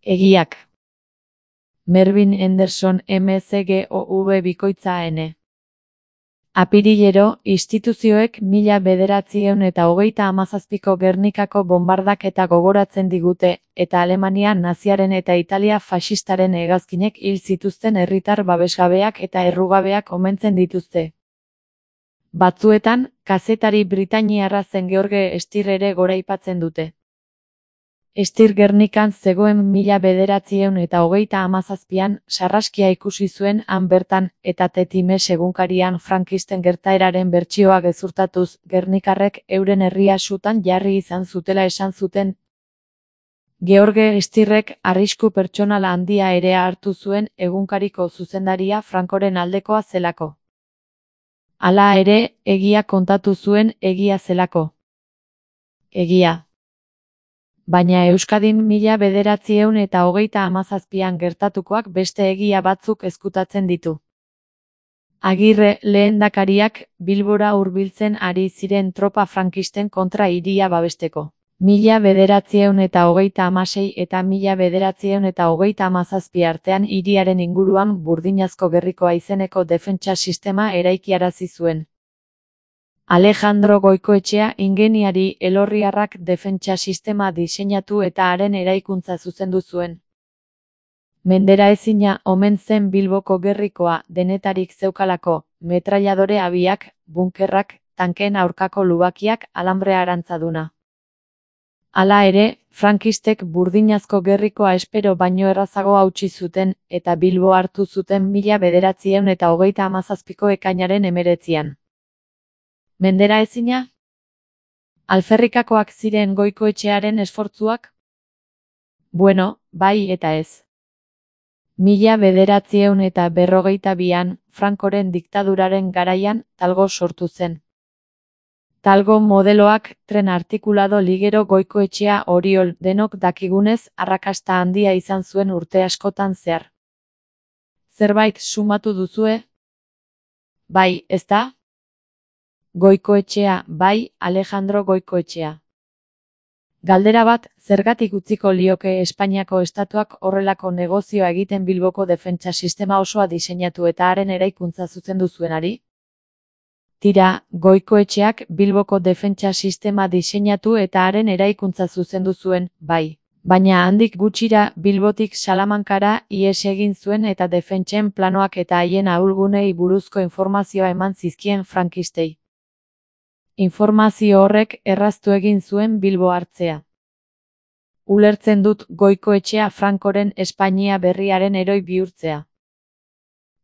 Egiak. Mervyn Henderson MCGOV_N. Apirilero, instituzioek 1937ko Gernikako bonbardaketa gogoratzen digute, eta Alemania naziaren eta Italia faxistaren hegazkinek hil zituzten herritar babesgabeak eta errugabeak omentzen dituzte. Batzuetan, kazetari britainiarra zen George Steer ere goraipatzen dute. Steer Gernikan zegoen 1937an sarraskia ikusi zuen han bertan eta The Times egunkarian frankisten gertaeraren bertsioa gezurtatuz, gernikarrek euren herria sutan jarri izan zutela esan zuten. George Steerrek arrisku pertsonal handia ere hartu zuen egunkariko zuzendaria Francoren aldekoa zelako. Hala ere, egia kontatu zuen egia zelako. Egia. Baina Euskadin 1937an gertatukoak beste egia batzuk ezkutatzen ditu. Agirre lehendakariak Bilbora hurbiltzen ari ziren tropa frankisten kontra hiria babesteko. 1936 eta 1937 artean hiriaren inguruan Burdinazko Gerrikoa izeneko defentsa sistema eraikiarazi zuen. Alejandro Goikoetxea ingeniari elorriarrak defentsa sistema diseinatu eta haren eraikuntza zuzendu zuen. Menderaezina omen zen Bilboko Gerrikoa denetarik zeukalako, metrailadore abiak, bunkerrak, tankeen aurkako lubakiak, alambrea arantzaduna. Hala ere, frankistek Burdinazko Gerrikoa espero baino errazago hautsi zuten, eta Bilbo hartu zuten 1937ko ekainaren 19. Menderaezina? Alferrikakoak ziren Goikoetxearen esfortzuak? Bueno, bai eta ez. 1942an, Francoren diktaduraren garaian, Talgo sortu zen. Talgo modeloak, tren artikulado ligero Goikoetxea Oriol denok dakigunez arrakasta handia izan zuen urte askotan zehar. Zerbait sumatu duzue? Bai, ezta? Goikoetxea, bai, Alejandro Goikoetxea. Galdera bat, zergatik utziko lioke Espainiako estatuak horrelako negozioa egiten Bilboko defentsa sistema osoa diseinatu eta haren eraikuntza zuzendu zuenari? Tira, Goikoetxeak Bilboko defentsa sistema diseinatu eta haren eraikuntza zuzendu zuen, bai. Baina handik gutxira Bilbotik Salamankara ihes egin zuen eta defentsen planoak eta haien ahulgunei buruzko informazioa eman zizkien frankistei. Informazio horrek erraztu egin zuen Bilbo hartzea. Ulertzen dut Goikoetxea Francoren Espainia berriaren heroi bihurtzea.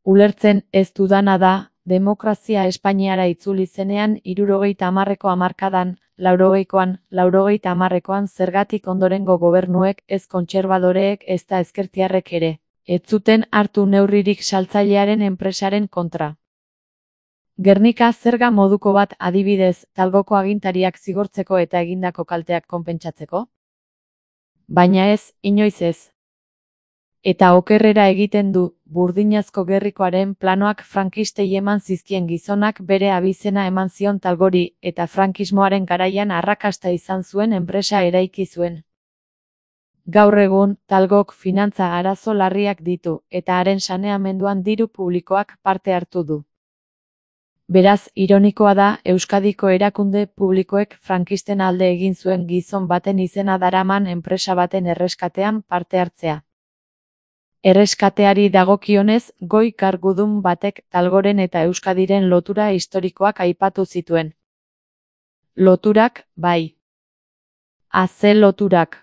Ulertzen ez dudana da, demokrazia Espainiara itzuli zenean 70ko hamarkadan, 80koan zergatik ondorengo gobernuek ez kontserbadoreek ezta ezkertiarrek ere, ez zuten hartu neurririk saltzailearen enpresaren kontra. Gernika zerga moduko bat adibidez, Talgoko agintariak zigortzeko eta egindako kalteak konpentsatzeko? Baina ez, inoiz ez. Eta okerrera egiten du, Burdinazko Gerrikoaren planoak frankistei eman zizkien gizonak bere abizena eman zion Talgori, eta frankismoaren garaian arrakasta izan zuen enpresa eraiki zuen. Gaur egun, Talgok finantza arazo larriak ditu, eta haren saneamenduan diru publikoak parte hartu du. Beraz, ironikoa da, Euskadiko erakunde publikoek frankisten alde egin zuen gizon baten izena daraman enpresa baten erreskatean parte hartzea. Erreskateari dagokionez, goi kargudun batek Talgoren eta Euskadiren lotura historikoak aipatu zituen. Loturak, bai. Ze loturak.